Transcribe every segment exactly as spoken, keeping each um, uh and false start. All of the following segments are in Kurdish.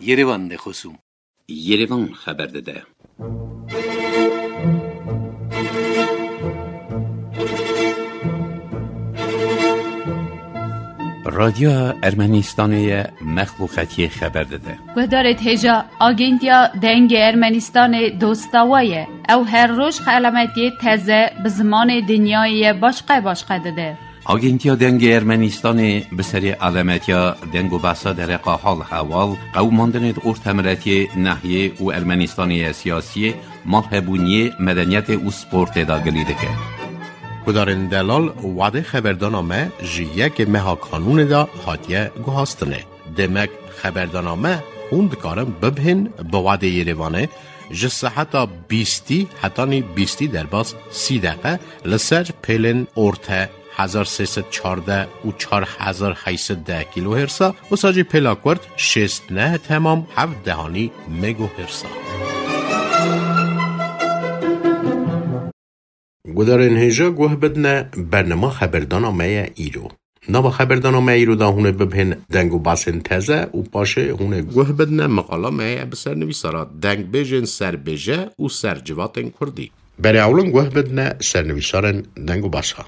Yerevan de xosûm. Yerevan xeber dide. Radyoya Ermenistanê ye, mexluqetiyê xeber dide. Guhdarê hêja, Agentiya Dengê Ermenistanê dosta we ye. Ew her roj xelametiyê teze bi zimanê dinyayê ye başqe başqe dide. Agentiya Dengê Ermenistanê bi serê alemetiya deng û behsa dereqa hal hewal, qewimandinê di ortemiletiyê, nehiyê û Ermenistanê ye siyasiyê, malhebûniyê, medeniyetê û sportê de gilî dike. Gudarên delal, wadê xeberdana me ji yekê meha kanûnê de hatiye guhastinê. Demek xeberdana me hûn dikarin bibihên bi wadê Yerevanê ji seheta bîstî hetanî bîstî derbas sî deqe li ser pêlên orte hezar sê sed çardeh û çar hezar heyt sed deh kîlohêrsa, wisa jî pêla kurt şêst neh temam heft dehanî megohêrsa. Gudarên hêja guh bidine bernama xeberdana me ye îro. Nava xeberdana me îro de hûn ê bibihên deng û basên teze û paşê hûn ê guh bidine meqala me ye bi sernivîsara dengbêjên serbêje û sercivatên kurdî. Berê ewlin guh bidine sernivîsarên deng û basa.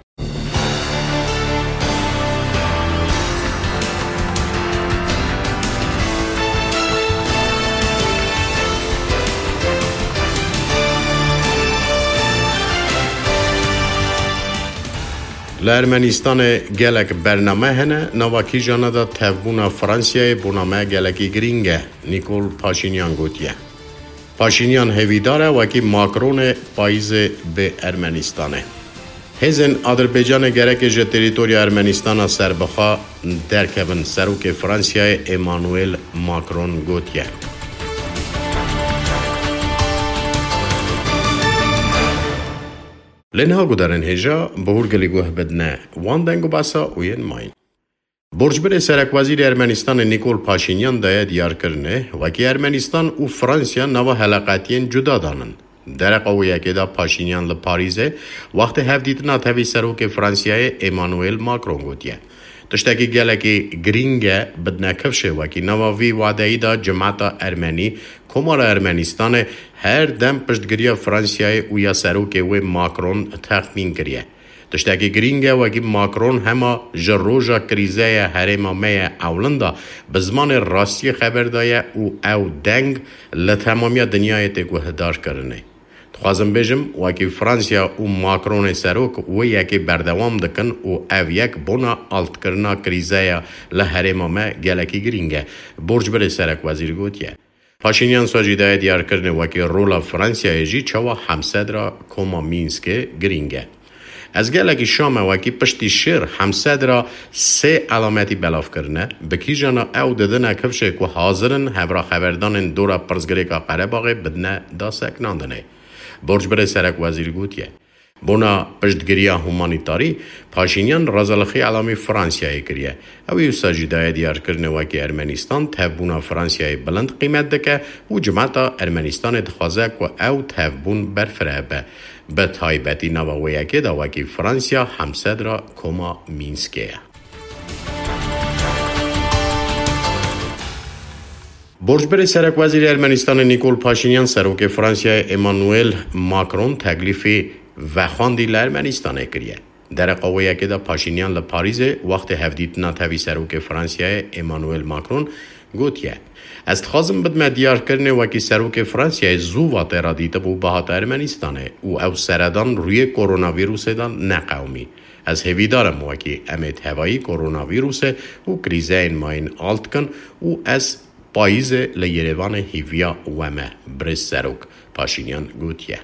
Li Ermenistanê gelek bername hene, nava kîjana de tevbûna Fransiyayê bona me gelekî girîng e, Nîkol Paşînyan gotiye. Paşînyan hêvîdar e wekî Macronê payîzê bê Ermenistanê. Hêzên Adirbaycanê gereke ji terîtoriya Ermenistana serbixwe derkevin, serokê Fransiyayê Emmanuel Macron gotiye. Lê niha gudarên hêja bi hûrgilî guh bidine wan deng û basa û yên mayîn. Borcbirê serekwezîrê Ermenistanê Nîkol Paşînyan daye diyarkirinê, wekî Ermenistan û Fransiya nava heleqetiyên cuda danin. Dereqa wê yekê de Paşînyan li Parîzê wextê hevdîtina tevî serokê Fransiyayê Emmanuel Macron gotiye, tiştekî gelekî girîng e bidine kifşê, wekî nava vî wadeyî de cimeta Ermenî, Komara Ermenistanê her dem piştgiriya Fransiyayê û ya serokê wê Macron texmîn kiriye. Tiştekî girîng e, wekî Macron hema ji roja krîzeya herêma me ye ewlin de bi zimanê rastiyê xeber daye û ew deng li temamiya dinyayê tê guhdarkirinê. Dixwazim bêjim, wekî Fransiya û Macronê serok wê yekê berdewam dikin û ev yek bona altkirina krîzeya li herêma me gelekî girîng e, Borcbirê serekwezîr gotiye. Paşînyan sa jî daye diyarkirinê wekî rola Fransiyayê jî çawa hemsedra koma Mînskê girîng e. Ez gelekî şa me wekî piştî şêr hemsedra sê elametî belav kirine, bi kîjana ew didine kifşê ku hazir in hevra xeberdanên dora pirsgirêka Qerebaxê bidine daseknandinê. Borcbirê serekwezîr gotiye. Bona piştgiriya humanîtarî, Paşînyan razalixî elamî Fransiyayê kiriye. Ew ê wisa jî daye diyarkirinê wekî Ermenistan tevbûna Fransiyayê bilind qîmet dike û cimeta Ermenistanê dixwaze ku ew tevbûn berfireh be. Bi taybetî nava wê yekê de wekî Fransiya hemsedra koma Mînskê ye. Borcbirê serekwezîrê Ermenistanê Nîkol Paşînyan serokê Fransiyayê Emmanuel Macron teklîfê vexwendî li Ermenistanê kiriye. Dereqa wê yekê de Paşînyan li Parîzê wextê hevdîtina tevî serokê Fransiyayê Emmanuel Macron gotiye, ez dixwazim bidime diyarkirinê wekî serokê Fransiyayê zû va tê re dîtibû bihata Ermenistanê û ew seredan rûyê koronavîrusê de neqewimî. Ez hêvîdar im wekî em ê tevayî koronavîrusê û krîzeyên mayîn alt kin û ez payîzê li Yerevanê hîviya we me, birêz serok, Paşînyan gotiye.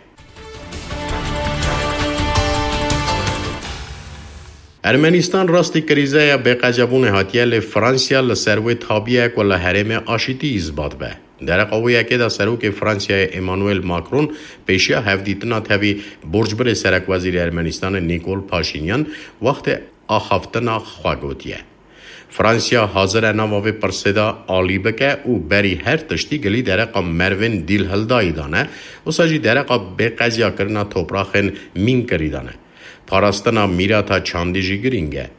Ermenistan rastî krîzeya bêqecebûnê hatiye, lê Fransiya li ser wê tabiye ku li herêmê aşîtî îsbat be. Dereqa wê yekê de serokê Fransiyayê Emmanuel Macron pêşiya hevdîtina tevî borcbirê serekwezîrê Ermenistanê Nîkol Paşînyan wextê axaftina xwe gotiye. Fransiya hazir e nava vê pirsê de alî bike û berî her tiştî gilî dereqa merivên dîlhildayî dane, wisa jî dereqa bêqeziyakirina topraxên mînkirî dane. Parastina mîrata çandî jî girîng e.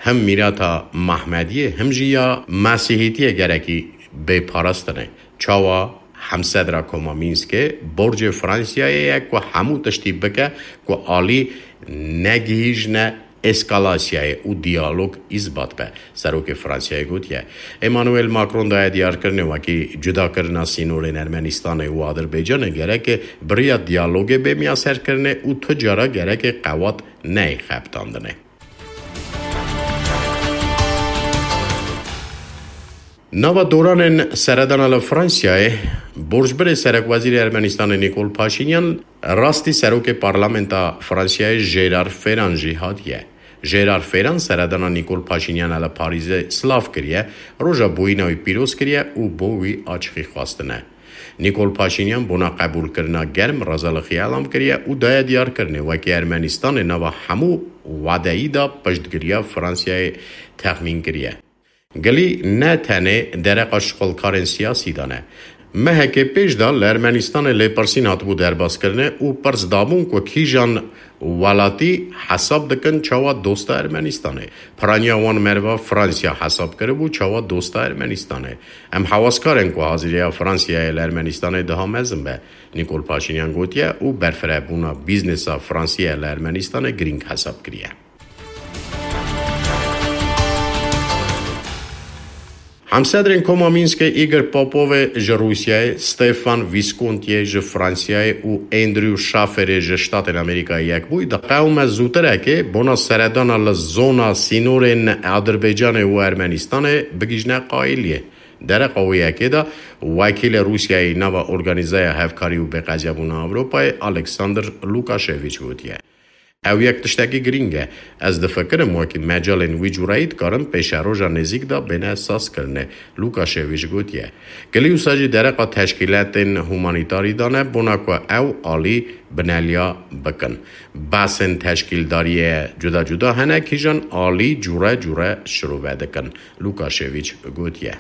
Him mîrata Mehmediyê, him jî ya Mesîhîtiyê gerekî bê parastin e. Çawa? Hemsedra Koma Mînskê borcê Fransiyayê ye ku hemû tiştî bike ku alî negihîjne eskalasyayê û diyalog îsbat be. Serokê Fransiyayê gotiye, Emmanuel Macron daye diyarkirinê wekî cudakirina sînorên Ermenistanê û Adirbaycanê gereke bi riya diyalogê bê miyaserkirinê û tu cara gereke qewat neyê xebitandinê. Nava doranên seredana li Fransiyayê, borcbirê serekwezîrê Ermenistanê Nîkol Paşînyan rastî serokê parlamenta Fransiyayê Jêrar Feran jî hatiye. Jêrar Feran seredana Nîkol Paşînyana li Parîzê silav kiriye, roja bûyîna wî pîroz kiriye û bo wî açixî xwestine. Nîkol Paşînyan bona qebûlkirina germ rezalixî elam kiriye û daye diyarkirinê wekî Ermenistanê nava hemû wadeyî de piştgiriya Fransiyayê texmîn kiriye. Gilî ne tenê dereqa şixulkarên siyasî de ne. Mehekê pêş de li Ermenistanê lêpirsîn hatibû derbaskirinê û pirs dabûn ku kîjan welatî hesab dikin çawa dosta Ermenistanê. Piraniya wan merva Fransiya hesab kiribû çawa dosta Ermenistanê. Em hewaskarên ku haziriya Fransiyayê li Ermenistanê daha mezin be, Nîkol Paşînyan gotiye û berfirebûna bîznesa Fransiyê li Ermenistanê girîng hesab kiriye. Hemsedrên Koma Mînskê Îgor Popovê ji Rûsyayê, Stefan Vîskontiyê ji Fransiyayê û Andrew Schafferê ji Ştatên Amerîkayê Yekbûyî di qewme zûtirekê bona seredana li zona sînorên Adirbaycanê û Ermenistanê bigihîjne qayîliyê. Dereqa wê yekê de wekîlê Rûsyayê nava Organîzeya Hevkarî û Bêqezyabûna Ewropayê Alexander Lukaşeviç gotiye, Ew yek tiştekî girîng e. Ez difikirim wekî mecalên wî cûreyî dikarin pêşeroja nêzîk de bêne sazkirinê, Lukaşeviç gotiye. Gilî wisa jî dereqa teşkîletên humanîtarî de ne bona ku ew alî bineliya bikin. Behsên teşkîldariyê cuda cuda hene, kîjan alî cûre cûre şirove dikin, Lukaşeviç gotiye.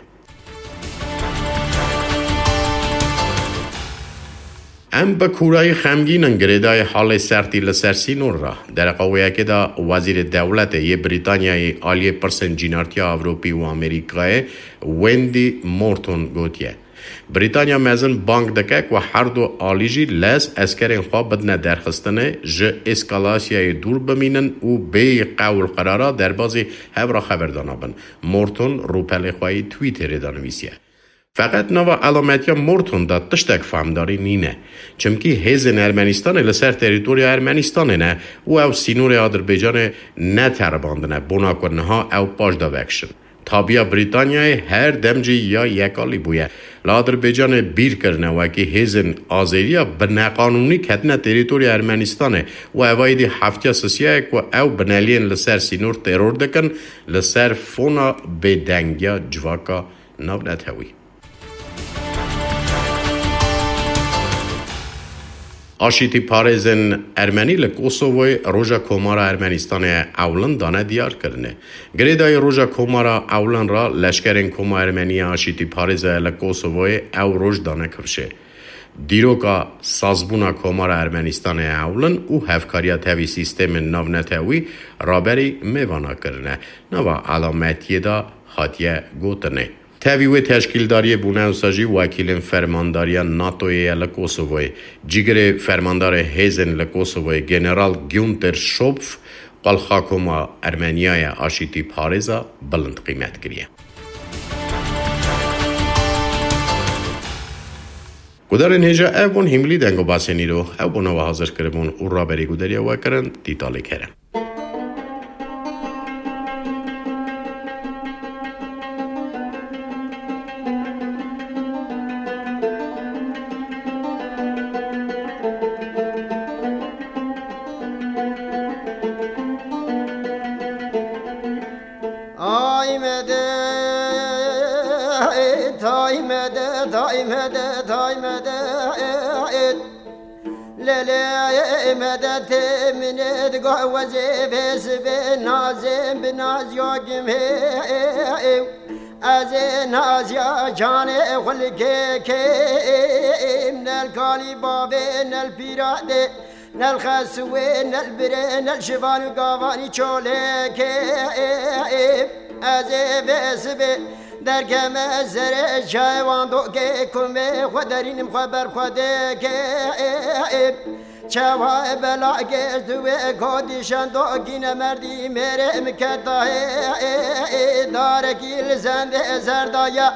Em bi kûrayî xemgîn in girêdayî halê sertî li ser sînor re. Dereqa wê yekê de Wezîrê Dewletê yê Brîtanyayê aliyê pirsên cînartiya Ewropî û Amerîkayê Wendy Morton gotiye, Brîtanya mezin bang dike ku her du alî jî lez eskerên xwe bidine derxistinê, ji eskalasyayê dûr bimînin û bêyî qewl qerara derbazî hev re xeberdana bin. Morton rûpelê xwe yê Twitterê de nivîsiye. Feqet nava elametiya Morton de tiştek fehmdarî nîne. Çimkî hêzên Ermenistanê li ser terîtoriya Ermenistanê ne û ew sînorê Adirbaycanê neteribandine, bona ku niha ew paş de vekişin. Tabiya Brîtanyayê her dem jî ya yekalî bûye. Li Adirbaycanê bîr kirine wekî hêzên azêriya bi neqanûnî ketine terîtoriya Ermenistanê û evayî dî heftiya sisiya ye ku ew bineliyên li ser sînor teror dikin, li ser fona bêdengiya civaka navnetewî. Aşîtîparêzên Ermenî li Kosovoyê Roja Komara Ermenistanê ewlin dane diyarkirinê. Girêdayî Roja Komara ewlin re leşkerên Koma Ermenî ya Aşîtîparêza li Kosovoyê ew roj dane kifşê. Dîroka sazbûna Komara Ermenistanê ewlin û hevkariya tevî sîstemên navnetewî raberî mêvana kirine. Nava elametiyê de hatiye gotinê. Tevî wê teşkîldariyê bûne wisa jî wekîlên fermandariya NATOyê ye li Kosovoyê. Cîgirê fermandarê hêzên li Kosovoyê General Günther Schopf qelxa Koma Ermeniya ya Aşîtîparêza bilind qîmet kiriye. Gudarên hêja ev bûn hîmilî dengobasên îro. Ew bona we hazir kiribûn û raberî gudariya we kirin Tîtalê Kerem. Ay medet, ay medet, ay medet, ay medet. Lelê medet, min ê digo wezê vê sibê nazê bi naziya gimê. Ez ê naziya canê xulkê kêm, nel kalî bavê, nel pîra dê, nel xeswê, nel birê, nel şivan û gavanî çolê kêm. Ez ê vê sibê Derkeme serê çayê wan dokê kumê xwe derînim xwe ber xwe dêkê. Çawa bela gez duwê gotî şendo gîne merdî mêrê min keta hê. Darekî li zendê zerdaya.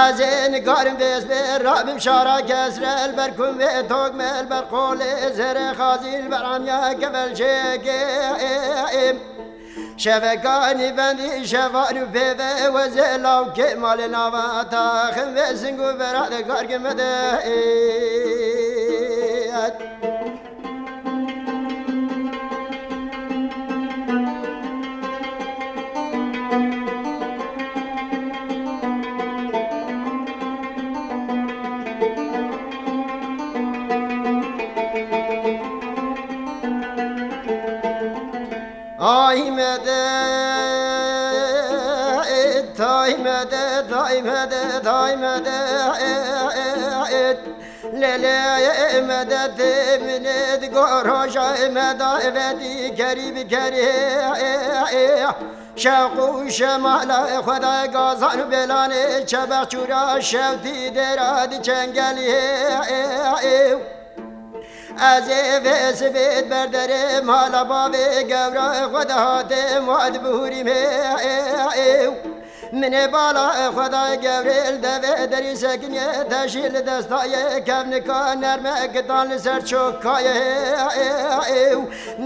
Ez ê nikarim vêz bê rabim şara kesre li ber kumê tokme li ber qolê zerê xazî li ber amiya kevel çêkê. Şeveka nîvendî şevan û pêve wezê lawkê malê nava taxin vê zing û vera de gargê me de. Ay medet, ay medet, ay medet, ay medet. Lê lê medet min ê di gor roja me davetî kerî bi kerî. Şewq û şemala Xwedayê gazan û belanê çebex çûra şewtî dêra di çengelî. Ez ê vê sibê berderê mala bavê gewra xwe de hatê mad bihûrî me. Min ê bala xwe dayê gewrê li devê derî sekiniye te jî li destayê kevnika nerme gitan li ser çokayê.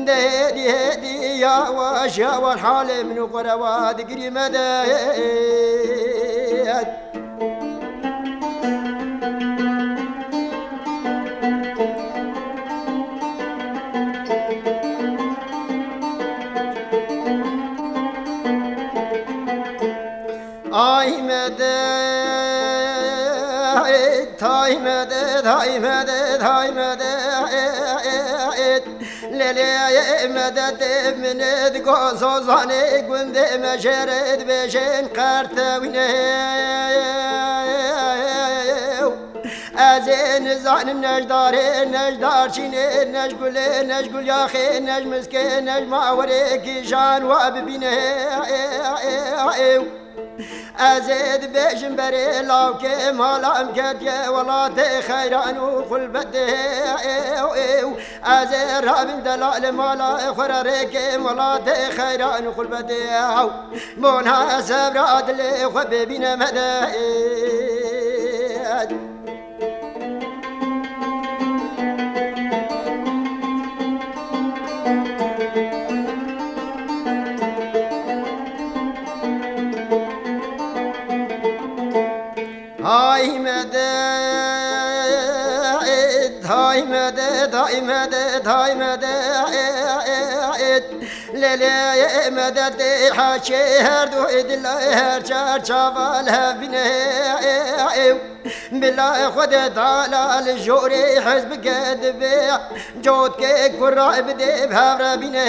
De hêdî hêdî ya wa ji ya wa halê min û xwe rewa digirî me de. Ay medet, ay medet, ay medet, ay medet. Lê lê medet min ê di gozozanê gundê me jê re dibêjin qertewîne. Ez ê nizanim nejdarê, nejdarçînê, nejgulê, nejgulyaxê, nejmiskê, nejmawerê kîjan wa bibîne. Ez ê dibêjim berê lawkê mala em ketiye welatê xeyran û xulbetê. Ez ê rabim delal mala xwe re rêkê welatê xeyran û xulbetê. Bona sevra dilê xwe bibîne me de. Hay medet, hay medet, hay medet, hay medet. Lê lê medet haçê her du dil her çar çaval hevine. Bila Xwedê Teala li jorê hez bike divê cotkê kura bidê bi hev re bîne.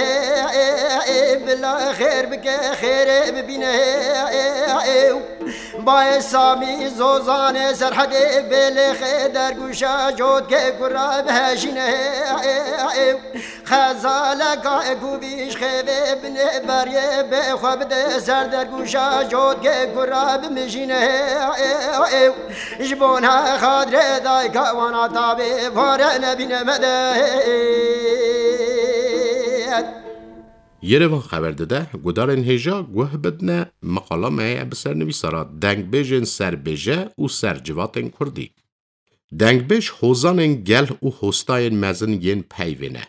Bila xêr bike xêrê bibîne. Bayê Samî Zozanê Serhedê bêlê xê dergûşa cotkê kura bihejîne. Xezaleka ku vî ji xêvê binê beriyê bê xwe bide ser dergûşa cotkê kura bimijîne. Ji bona xatirê dayika wana tabê vare nebîne me de. Yerevan xeber dide, gudarên hêja guh bidne, miqala me ye bi ser nivîsara dengbêjên serbêje û ser civatên kurdî. Dengbêj hozanên gel û hostayên mezin yên peyvê ne.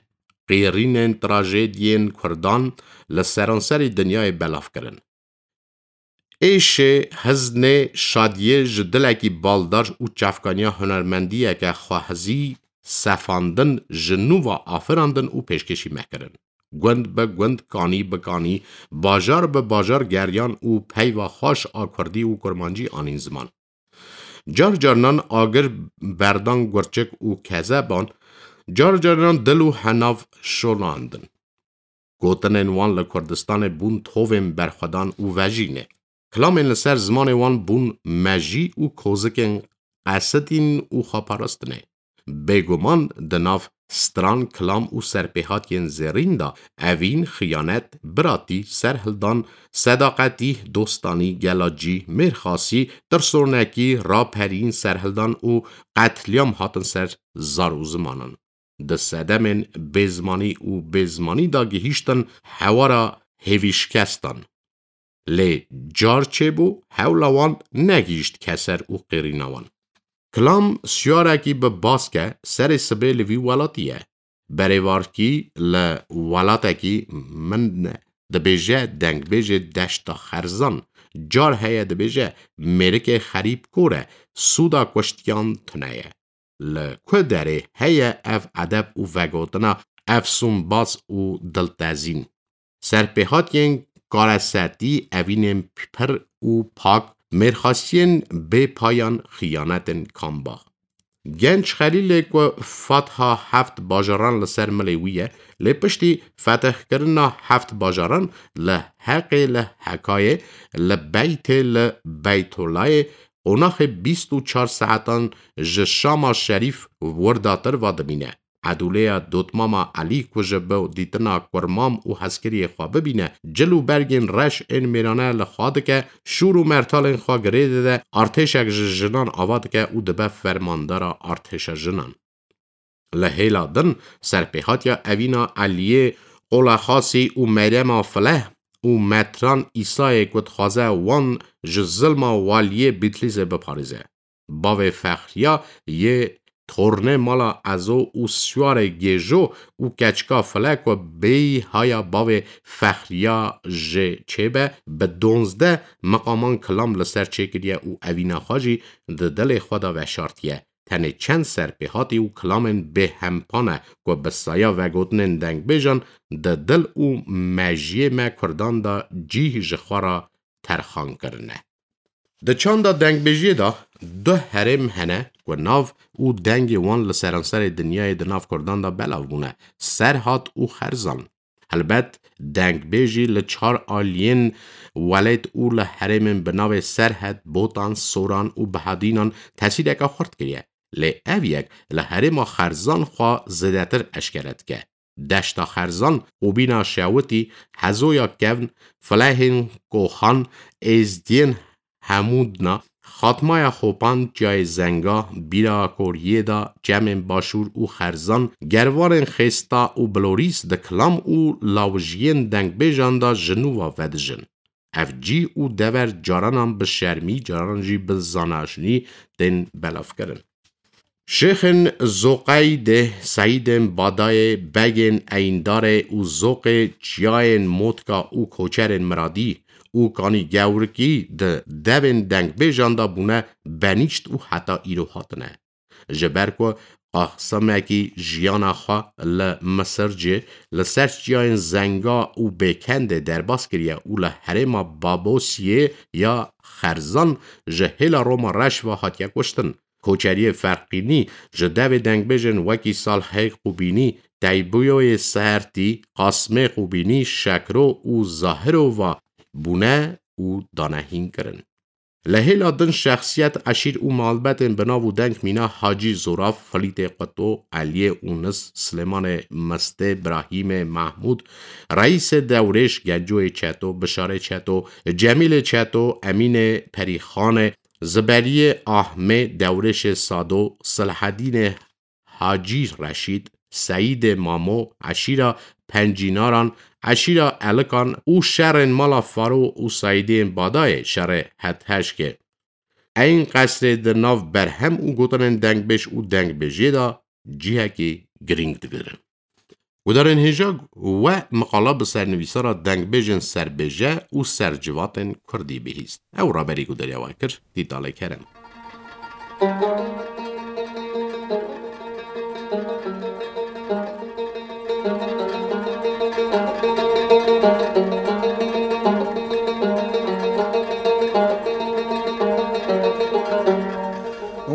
Qêrînên trajediyên kurdan li seranserî dinyayê belav kirin. Êşê, hiznê, şadiyê ji dilekî baldar û çavkaniya hunermendiyeke xwehezî sefandin, ji nû ve afirandin û pêşkêşî me kirin. Gund bi gund, kanî bi kanî, bajar bi bajar geriyan û peyva xweş a kurdî û kurmancî anîn ziman. Car carinan agir berdan gurçik û kezeban, car carinan dil û henav şolandin. Gotinên wan li Kurdistanê bûn tovên berxwedan û vejînê. Kilamên li ser zimanê wan bûn mejî û kozikên qesetîn û xweparastinê. Bêguman di nav stran, kilam û serpêhatiyên zêrîn de evîn, xiyanet, biratî, serhildan, sedaqetî, dostanî, gelacî, mêrxasî, tirsonekî, raperîn, serhildan û qetlîam hatin ser zar û zimanan. Di sedemên bêzimanî û bêzimanî de gihîştin hewara hêvîşikestan. Lê car çêbû, hewla wan negihîşt keser û qêrîna wan. Kilam siyarekî bi baske serê sibê li vî welatî ye. Berêvarkî li welatekî min dibêje, dengbêjê Deşta Xerzan. Car heye dibêje, mêrikê xerîb kor e, sûda kuştiyan tune ye. Li ku derê heye ev edeb û vegotina efsûnbaz û diltezîn? Serpêhatiyên karesetî, evînên pir û pak, mêrxasiyên bê payan, xiyanetên kambax. Genç Xelîlê ku fetha heft bajaran li ser milê wî ye, lê piştî fetihkirina heft bajaran li Heqê, li Hekayê, li Beytê, li Beytolayê, qonaxê bîst û çar saetan ji Şama Şerîf wirdatir va dimîne. Edûleya Dotmama Elî ku ji bo dîtina kurmam û hezkiriyê xwe bibîne, cil û bergên reş ên mêrane li xwe dike, şûr û mertalên xwe girê dide, artêşek ji jinan ava dike û dibe fermandara artêşa jinan. Li hêla din serpêhatiya evîna Eliyê Qolexasî û Meryema Fileh û Metran Îsayê ku dixwaze wan ji zilma waliyê Bîtlîsê biparêze. Bavê Fexriya yê tornê mala Ezo û Siyarê Gêjo û keçika File ku bêyî haya bavê Fexriya jê çêbe, bi donzdeh miqaman kilam li ser çêkiriye û evîna xwe jî di dilê xwe de veşartiye. Tenê çend serpêhatî û kilamên bêhempa ne ku bi saya vegotinên dengbêjan di dil û mejiyê me Kurdan de cîh ji xwe re terxan kirine. Di çanda dengbêjiyê de du herêm hene ku nav û dengê wan li seranserê dinyayê di nav Kurdan de belav bûne, Serhat û Xerzan. Helbet dengbêjî li çar aliyên welêt û li herêmên bi navê Serhet, Botan, Soran û Bihadînan tesîreke xurt kiriye. Lê ev yek li herêma Xerzan xwe zêdetir eşkere dike. Deşta Xerzan, Qûbîna Şewitî, Hezoya Kevn, Filehên Koxan, Êzdiyên Hemûdna, Xatmaya Xopan, Çiyayê Zenga, Bîra Koriyê de, Çemên Başûr û Xerzan, Gervanên Xêsta û Bilorîs di kilam û lawijiyên dengbêjan de ji nû ve vedijin. Ev cî û dever caranan bi şermî, caranan jî bi zanaşnî tên belavkirin. Şêxên Zoqeydê, Seyîdên Badayê, Begên Eyndarê û Zoqê Çiyayên Motka û Koçerên Miradî û Kanî Gewrikî di devên dengbêjan de bûne benîşt û heta îro hatine. Ji ber ku qaxsimekî jiyana xwe li Misircê li ser çiyayên Zenga û Bêkendê derbas kiriye û li herêma Babosiyê ya Xerzan ji hêla Roma Reş ve hatiye kuştin. Koçeriyê Ferqînî ji devê dengbêjên wekî Salhê Qûbînî, Teybiyoyê Sertî, Qasmê Qûbînî, Şekro û Zahiro ve bûne û dane hîn kirin. Li hêla din şexsiyet, eşîr û malbetên bi nav û deng mîna Hacî Zoraf, Filîtê Quto, Eliyê Ûnis, Silêmanê Mistê, Birahîmê Mehmûd, Reîsê Dewrêş, Gencoyê Çeto, Bişarê Çeto, Cemîlê Çeto, Emînê Perîxanê, Ziberiyê Ahmê, Dewrêşê Sado, Silahedînê Hacî Reşîd, Seyîdê Mamo, eşîra Pencînaran, eşîra Elikan û şerên mala Faro û Seyîdiyên Badayê, şerê Hetheşkê. Eyn qesrê di nav berhem û gotinên dengbêj û dengbêjiyê de cihekî girîng digirin. Gudarên hêja, we miqala bi sernivîsara dengbêjên serbêje û sercivatên kurdî bihîst. Ew raberî gudariya we kir, Dîtalê Kerem.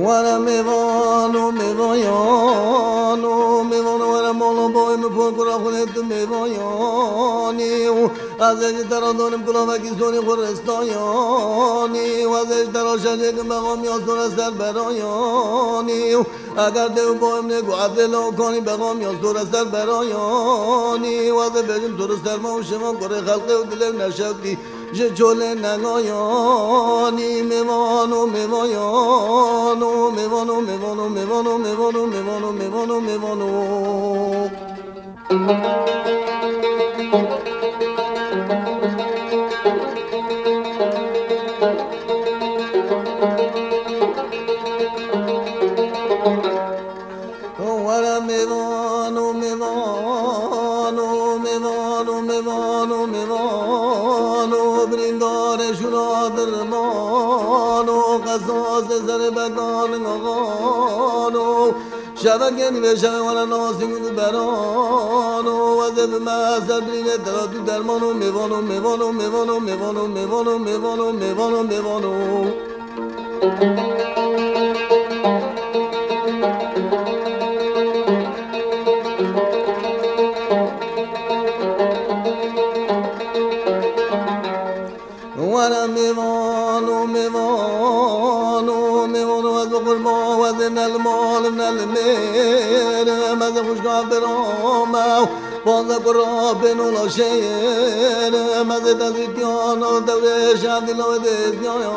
Were mêvan û mêvayan û mêvan were mala bavê min, pokura xwe tu mêvayanî û Ez ê ji te re donim kulavekî sonî xwe ristayanî, û ez ê ji te re şerê kim bexamiya sor e ser berayanî. Û eger dê û bayim nê ku ez ê law kanî bexamiya sor e ser berayanî. Û ez ê bêjim sor û serma û şivan kurê xelqê û dilê û neşewtî ji çolê negayanî. Mêvan û mêvayan û mêvan û mêvan û mêvan û mêvan û mêvan û mêvan û mêvan û. Were mêvan û mêvan û mêvan û mêvan û mêvan û birîndarê şûna dirman û qesasê serê bekan û Şevekên vê şevê were nasî min û beran û ez ê bime ser birînê te re tu derman û mêvan û mêvan û mêvan û mêvan û mêvan û mêvan û mêvan û mêvan û mêvan û. Were mêvan û mêvan û mêvan û ez bi qurban we dê ne li mal ne li mêr, me dê xwişka bira me û panze kura bên û laşêr, me dê tezîtiyan û dewrê şevdî lawê dê ziyaya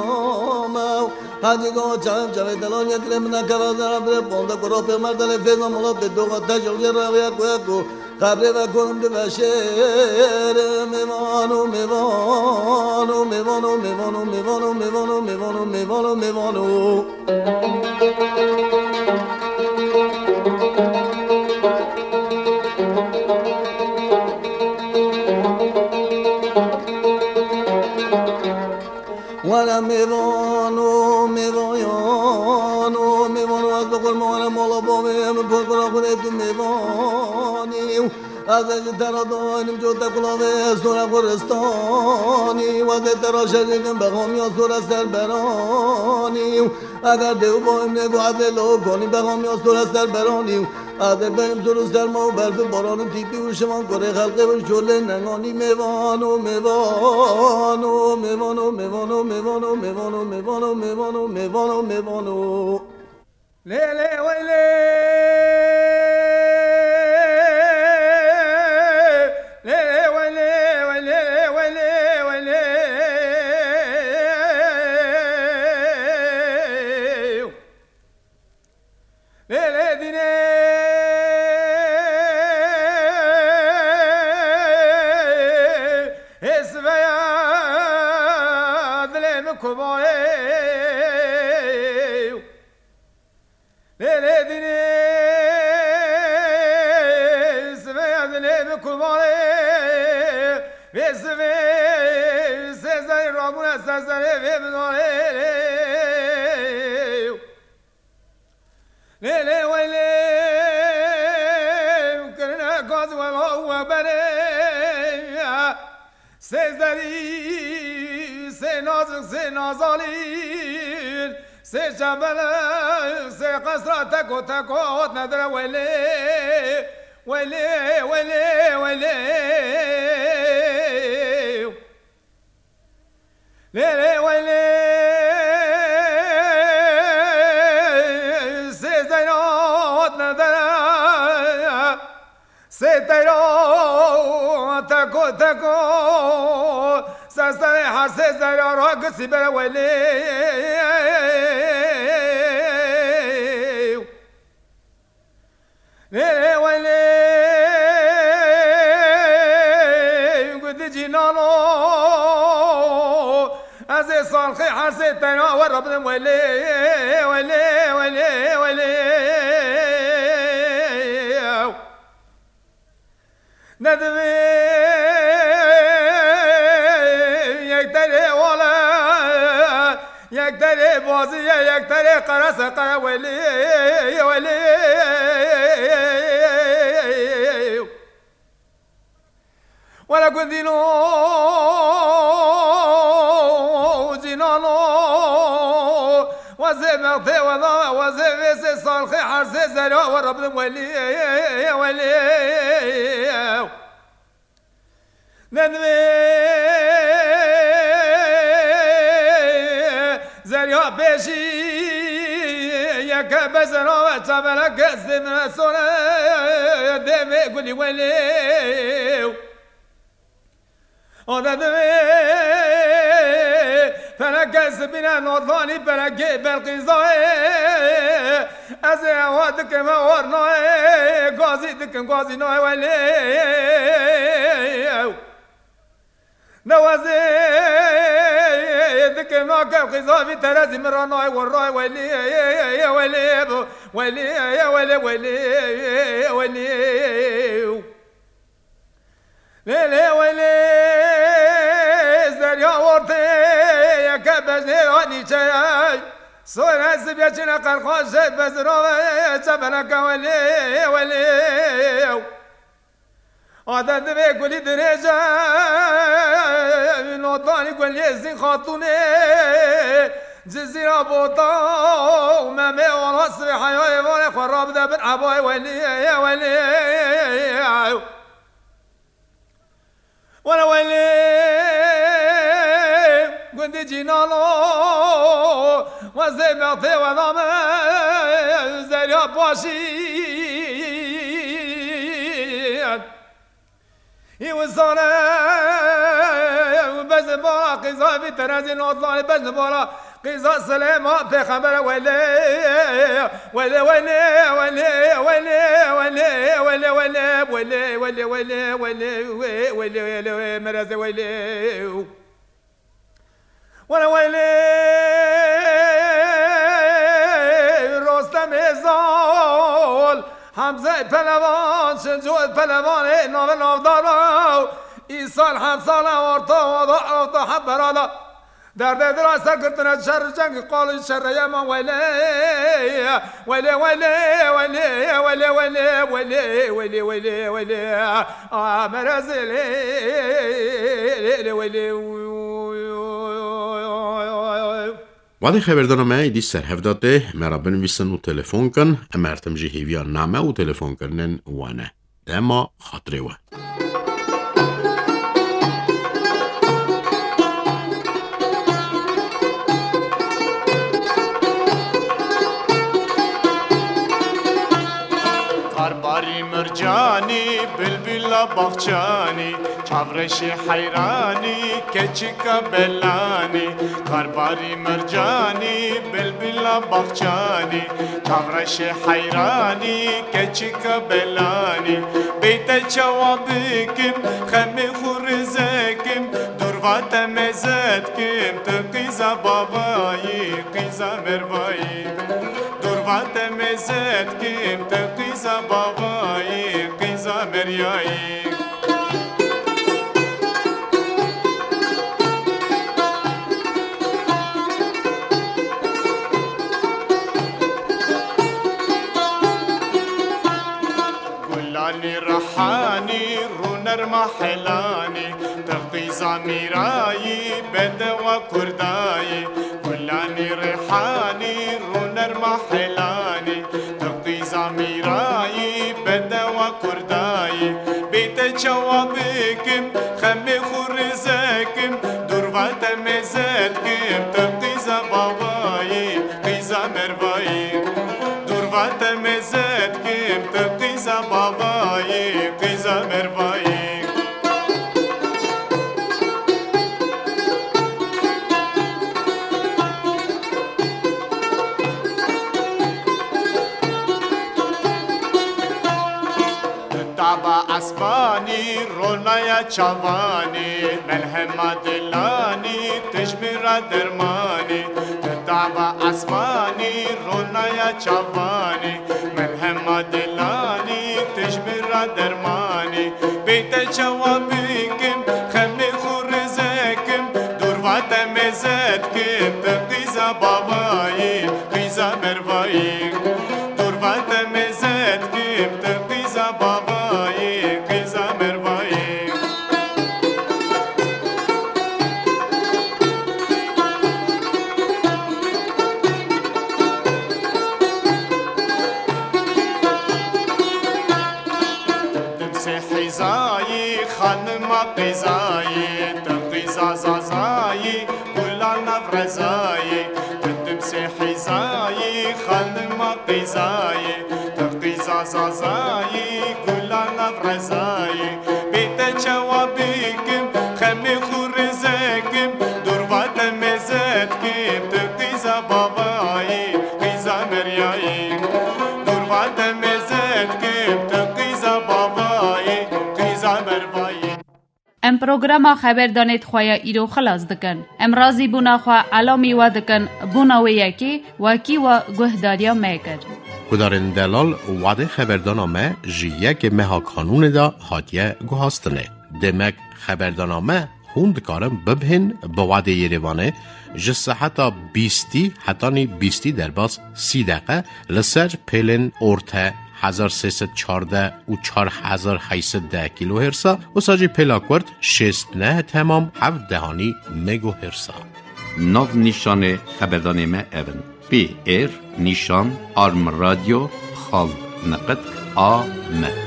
me û hecî ga çem çevê telan yetirê min nekeve zera birê panze kura pê merdelê fêza mala pê doxa te jewjê rewiye ku ye ku Qebrê ve kurim dibe şêr, mêvan û mêvan û mêvan û mêvan û mêvan û mêvan û mêvan û mêvan û mêvan û. Were mêvan û mêvayan û mêvan û ez bi qurban were mala bavê min, pir kura Xwedê tu mêvanî û ez ê ji te re danim cot te kulavê sore xuristanî û ez ê te re şerê kim bexamiya sore ser beranî û eger dê û bayim nê ku ez ê lo konî bexamiya sore ser beranî û Ez ê bêm zor û serma û berf û baran û tîpî û şivan kurê xelqê û şolê nenganî mêvan û mêvan û mêvan û mêvan û mêvan û mêvan û mêvan û mêvan û mêvan û mêvan û mêvan û. Lê lê wey lê. Lê lê wey lê, wey lê, wey lê, wey lê. Lê lê dînê hêsiveya dilê min kumayê. Lê lê dînê hêsiveya dilê min kumayê. Vê sivê sêzerî rabûne ser serê vê bidarê. Lê lê wey lê, kirine gaz wela we berê. Sê zerî, sê nazik, sê nazalîn, sê çebelek, sê qesra teko teko hotne dire wey lê. Wey lê, wey lê, wey lê. Lê lê wey lê, sê zeyra hatine dere, sê teyra teko teko, ser serê her sê zeyra ra gisî bere wey lê. Lê lê wey lê, gudi cînano, ez ê salxê hersê teyna we re bidim wey lê, wey lê, wey lê, wey lê. Ne divê yek terê wale, yek terê baziye, yek terê qerese qere welê, welê. Wele gundîno, cînano, wezê mextê weda, wezê vê sê salxê hersê zerya we re bidim welê, welê. Nedimê zerya pêşî yeke bezena ve çaveleke sêmine sore demê gulî welê. O nedimê feleke sibîne nodvanî pelekê Belqîzayê. Ez ê ewa dikim, ewa nayê gazî dikim, gazî nayê welê. Newazê dikim nakev qîza vî terezî min ra nayê werayê welê, welê, welê, welê, welê, welê. Lê, lê, welê, zerya ortê yeke bejnê anî çeyay. Sore sibê çine qerxaşê bezirove çebeleke welê, welê. Adet divê gulî dirêje, notanî gulê zîn xatûnê, Cizîra bota û Memê ola sivê heyayê vanê xwe rabide bin ebayê welî, welî. Wele welê gundî Cînalo, wezê mextê weda min zerya paşî. Î wisane bezibala qîza vî terezî notlanê bezibala qîza Silêma pêxembere welê, welê, welê, merezê welê. Wele welê, Wele welê, Wele welê, Wele welê. Wele welê, Rostemê zal, Hemze Pelevan, Şinco Pelevan, ê navê navdara, îsal hemsala orta, orta, orta hemberala. Derdê dira ser girtine şer cengî qalî şerreye ma welê. Welê, welê, welê, welê, welê, welê, welê, welê, welê. A merezê lê, lê, lê, welê. Wadê xeberdana me êdî ser hev de tê, me re binivîsin û telefon kin. Em her tim jî hêviya name û telefonkirinên we ne. Dema xatirê we. Karbarî mercanî, bilbila baxçanî, çavreşê heyranî, keçika belanî. Karbarî mercanî, bilbila baxçanî, çavreşê heyranî, keçika belanî. Bê te çawa bikim, xemê xwe rizekim, durva te meze dikim, tu qîza bavayî, qîza mervayî. Durva te meze dikim, tu qîza bavayî, qîza meryayî. Gulanî rihanî, rûnerma helanî, tu qîza mîrayî, bedewa kurdayî. Gulanî rihanî, rûnerma helanî, tu qîza mîrayî, bedewa kurdayî. Bê te çawa bikim, xemê xwe rizekim, durva te meze dikim, tu qîza bavayî, qîza mervayî. Durva te meze dikim, tu qîza bavayî, qîza mervayî. Daba esmanî, ronaya çavanî, melhema dilanî, tijmîra dermanî. Daba esmanî, ronaya çavanî, melhema dilanî, tijmîra dermanî. Bê te çawa bikim, xemê xwe rizekim, durva te meze dikim, tu qîza bavayî, qîza mervayî. Durva te meze dikim, tu qîza bavayî, qîza mervayî. Dimsê hîzayî, xanima qîza. Qîzayê, tu qîza Zazayî, gula nav rezayî. Bê te çawa bikim, xemê xwe rêzekim, dorva te mêze dikim, tu qîza bavayî, qîza meryayî. Dorva te mêze dikim, tu qîza bavayî, qîza mervayî. Em programa xeberdanê di xwe ya îro xilas dikin. Em razîbûna xwe elamî we dikin, bona wê yekê wekî we guhdariya me kir. Gudarên delal, wadê xeberdana me ji yekê meha Kanûnê de hatiye guhastinê. Demek xeberdana me hûn dikarin bibihên bi wadê Yerêvanê ji seheta bîstî hetanî bîstî derbas sî deqe li ser pêlên orte hezar sê sed çardeh û çar hezar heyt sed deh kîlohêrsa, wisa jî pêla kurt şêst neh temam heft dehanî megohêrsa. Nav nîşanê xeberdanê me ev in: P R nîşan arm radio xal niqit a m.